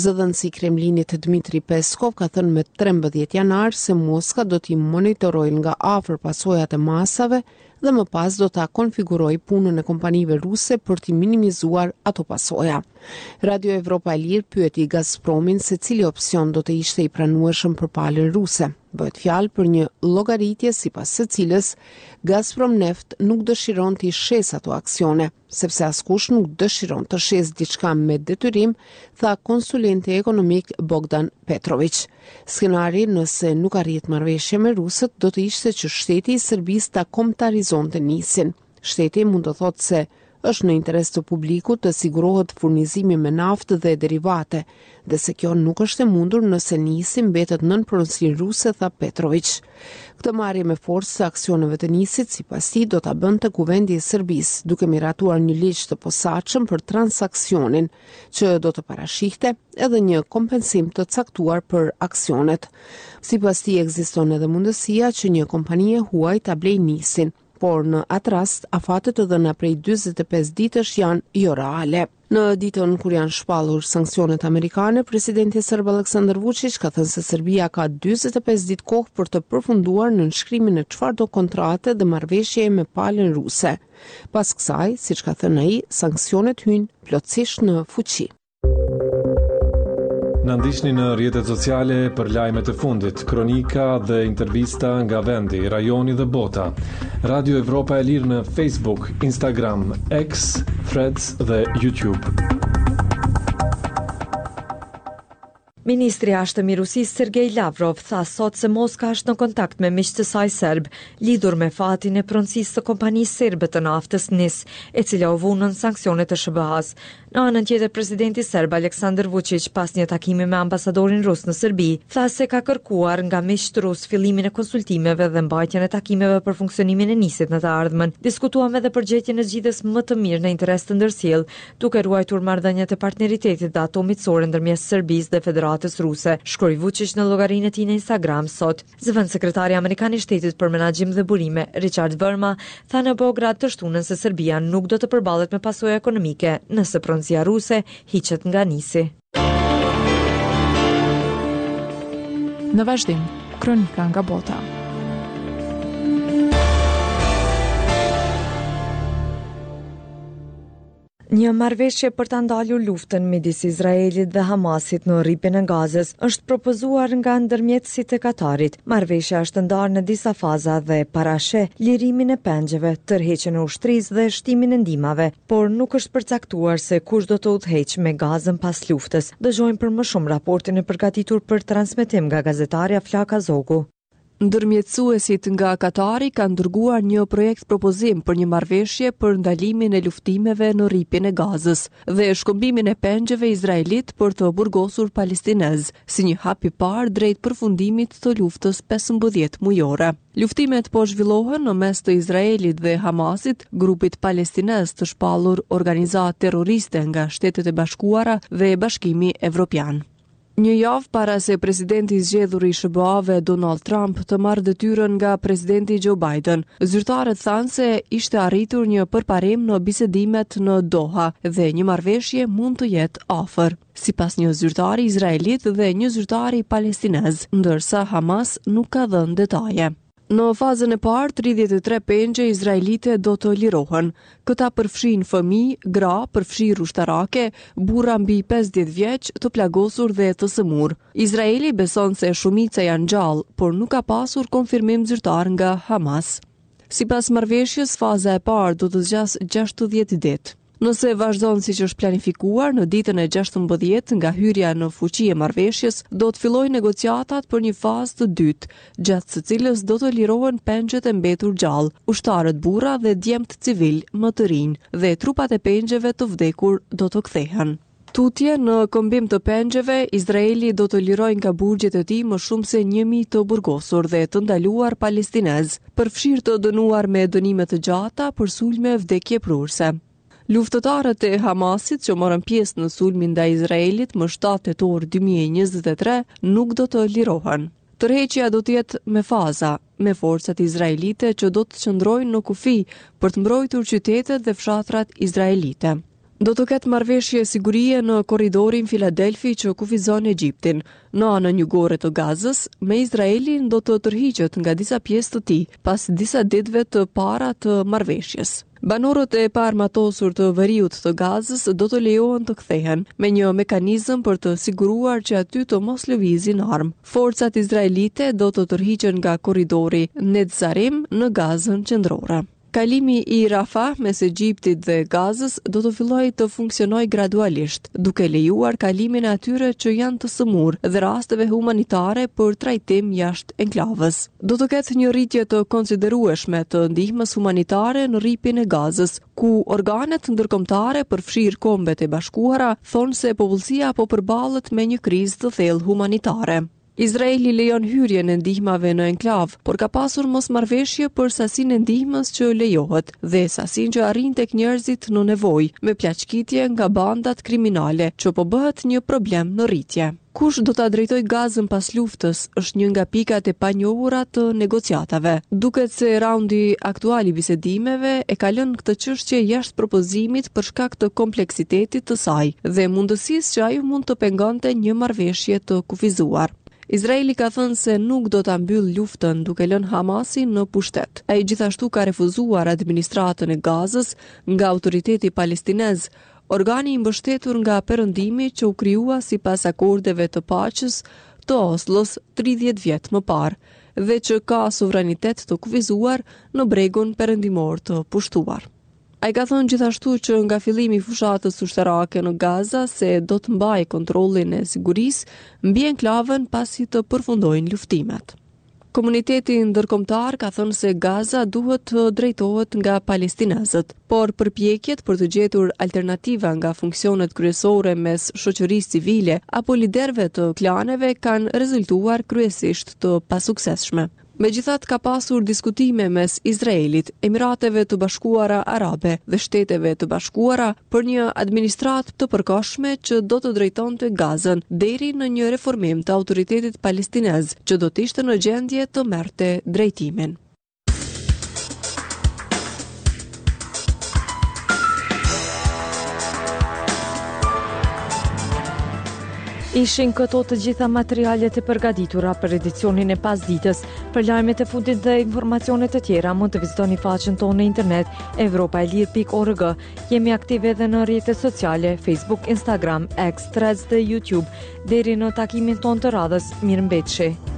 Zëdhënësi i Kremlinit Dmitry Peskov ka thënë me 13 janar se Moska do t'i monitorojë nga afër pasojat e masave dhe më pas do ta konfigurojë punën e kompanive ruse për t'i minimizuar ato pasoja. Radio Evropa e Lirë pyeti Gazpromin se cili opsion do të ishte i pranueshëm për palën ruse. Bëhet fjalë për një llogaritje sipas së cilës Gazprom Neft nuk dëshiron t'i shesë ato aksione, sepse askush nuk dëshiron të shesë diçka me detyrim, tha konsulenti ekonomik Bogdan Petroviq. Skenari, nëse nuk arrihet marrëveshje me rusët, do të ishte që shteti i Serbisë ta kombëtarizonte NIS-in. Shteti mund të thotë se është në interes të publikut të sigurohet furnizimi me naftë dhe derivate, dhe se kjo nuk është e mundur nëse NIS-i mbetet nën pronësinë ruse, tha Petroviq. Këtë marrje me forcë të aksioneve të NIS-it, sipas tij, do ta bënte Kuvendi i Serbisë, duke miratuar një ligj të posaçëm për transaksionin, që do të parashihte edhe një kompensim të caktuar për aksionet. Sipas tij, ekziston edhe mundësia që një kompani e huaj ta blejë NIS-in, por në atë rast afatet e dhëna prej 45 ditësh janë jo reale. Në ditën kur janë shpallur sanksionet amerikane, presidenti serb Aleksandar Vučić ka thënë se Serbia ka 45 ditë kohë për të përfunduar nënshkrimin e çfarëdo kontrate dhe marrëveshjeje me palën ruse. Pas kësaj, siç ka thënë ai, sanksionet hyjnë plotësisht në fuqi. Na ndiqni në rrjetet sociale për lajmet e fundit, kronika dhe intervista nga vendi, rajoni dhe bota. Radio Evropa e Lirë në Facebook, Instagram, X, Threads dhe YouTube. Ministri i Jashtëm i Rusisë Sergei Lavrov tha sot se Moska është në kontakt me miqtë e saj serbë lidhur me fatin e pronësisë së kompanisë serbe të naftës NIS, e cila u vu nën sanksionet e SHBA-së. Në anën tjetër, presidenti serb Aleksandar Vuçiq pas një takimi me ambasadorin rus në Serbi, tha se ka kërkuar nga miqtë rusë fillimin e konsultimeve dhe mbajtjen e takimeve për funksionimin e NIS-it në të ardhmen. Diskutuam edhe për gjetjen e zgjidhjes më të mirë në interes të ndërsjellë, duke ruajtur marrëdhëniet e partneritetit dhe ato miqësore ndërmjet Serbisë dhe Federatës Ruse, shkroi Vuçiq në llogarinë e tij në Instagram sot. Zëvendëssekretari amerikan i Shtetit për Menaxhim dhe Burime, Richard Verma, tha në Beograd të shtunën se Serbia nuk do të përballet me pasoja ekonomike nëse pronësia ruse hiqet nga NIS-i. Në vazhdim, kronika nga bota. Një marrëveshje për ta ndalur luftën midis Izraelit dhe Hamasit në Rripin e Gazës është propozuar nga ndërmjetësit e Katarit. Marrëveshja është ndarë në disa faza dhe parasheh lirimin e pengjeve, tërheqjen e ushtrisë dhe shtimin e ndihmave, por nuk është përcaktuar se kush do të udhëheqë me Gazën pas luftës. Dëgjojmë për më shumë raportin e përgatitur për transmetim nga gazetarja Flaka Zogu. Ndërmjetësuesit nga Katari kanë dërguar një projekt-propozim për një marrëveshje për ndalimin e luftimeve në Rripin e Gazës dhe shkëmbimin e pengjeve izraelitë për të burgosur palestinezë, si një hap i parë drejt përfundimit të luftës 15 mujore. Luftimet po zhvillohen në mes të Izraelit dhe Hamasit, grupit palestinez të shpallur organizatë terroriste nga Shtetet e Bashkuara dhe Bashkimi Evropian. Një javë para se presidenti i zgjedhur i SHBA-ve Donald Trump të marrë detyrën nga presidenti Joe Biden, zyrtarët thanë se ishte arritur një përparim në bisedimet në Doha dhe një marrëveshje mund të jetë afër, sipas një zyrtari izraelit dhe një zyrtari palestinez, ndërsa Hamas nuk ka dhënë detaje. Në fazën e parë, 33 pengje izraelite do të lirohen. Këta përfshijnë fëmijë, gra, përfshirë ushtarake, burra mbi 50 vjeç, të plagosur dhe të sëmurë. Izraeli beson se shumica janë gjallë, por nuk ka pasur konfirmim zyrtar nga Hamas. Sipas marrëveshjes, faza e parë do të zgjasë 60 ditë. Nëse vazhdon siç është planifikuar, në ditën e 16 nga hyrja në fuqi e marrëveshjes, do të fillojnë negociatat për një fazë të dytë, gjatë së cilës do të lirohen pengjet e mbetur gjallë, ushtarët burra dhe djemtë civilë më të rinj, dhe trupat e pengjeve të vdekur do të kthehen. Tutje, në këmbim të pengjeve, Izraeli do të lirojë nga burgjet e tij më shumë se 1.000 të burgosur dhe të ndaluar palestinezë, përfshirë të dënuar me dënime të gjata për sulme vdekjeprurëse. Luftëtarët e Hamasit që morën pjesë në sulmin ndaj Izraelit më 7 tetor 2023 nuk do të lirohen. Tërheqja do të jetë me faza, me forcat izraelite që do të qëndrojnë në kufi për të mbrojtur qytetet dhe fshatrat izraelite. Do të ketë marrëveshje sigurie në korridorin Filadelfi që kufizon Egjiptin, në anën jugore të Gazës, me Izraelin do të tërhiqet nga disa pjesë të tij, pas disa ditëve të para të marrëveshjes. Banorët e paarmatosur të veriut të Gazës do të lejohen të kthehen, me një mekanizëm për të siguruar që aty të mos lëvizin armë. Forcat izraelite do të tërhiqen nga korridori Netzarim në Gazën qendrore. Kalimi i Rafah mes Egjiptit dhe Gazës do të fillojë të funksionojë gradualisht, duke lejuar kalimin e atyre që janë të sëmurë dhe rasteve humanitare për trajtim jashtë enklavës. Do të ketë një rritje të konsiderueshme të ndihmës humanitare në Rripin e Gazës, ku organet ndërkombëtare, përfshirë Kombet e Bashkuara, thonë se popullsia po përballet me një krizë të thellë humanitare. Izraeli lejon hyrjen e ndihmave në enklavë, por ka pasur mosmarrëveshje për sasinë e ndihmës që lejohet dhe sasinë që arrin tek njerëzit në nevojë, me plaçkitje nga bandat kriminale, që po bëhet një problem në rritje. Kush do ta drejtojë Gazën pas luftës është një nga pikat e panjohura të negociatave. Duket se raundi aktual i bisedimeve e ka lënë këtë çështje jashtë propozimit për shkak të kompleksitetit të saj dhe mundësisë që ajo mund të pengonte një marrëveshje të kufizuar. Izraeli ka thënë se nuk do ta mbyllë luftën duke lënë Hamasin në pushtet. Ai gjithashtu ka refuzuar administratën e Gazës nga Autoriteti Palestinez, organi i mbështetur nga Perëndimi që u krijua sipas akordeve të paqes të Oslos 30 vjet më parë dhe që ka sovranitet të kufizuar në bregun perëndimor të pushtuar. Ai ka thënë gjithashtu që nga fillimi i fushatës ushtarake në Gaza se do të mbajë kontrollin e sigurisë mbi enklavën pasi të përfundojnë luftimet. Komuniteti ndërkombëtar ka thënë se Gaza duhet të drejtohet nga palestinezët, por përpjekjet për të gjetur alternativa nga funksionet kryesore mes shoqërisë civile apo liderëve të klaneve kanë rezultuar kryesisht të pasuksesshme. Megjithatë ka pasur diskutime mes Izraelit, Emirateve të Bashkuara Arabe dhe Shteteve të Bashkuara për një administratë të përkohshme që do të drejtonte Gazën deri në një reformim të Autoritetit Palestinez që do të ishte në gjendje të merrte drejtimin. Ishin këto të gjitha materialet e përgatitura për edicionin e pasdites. Për lajmet e fundit dhe informacione të tjera mund të vizitoni faqen tonë në internet evropaelire.org. Jemi aktive edhe në rrjetet sociale Facebook, Instagram, X, Threads dhe YouTube. Deri në takimin tonë të radhës, mirëmbetshi.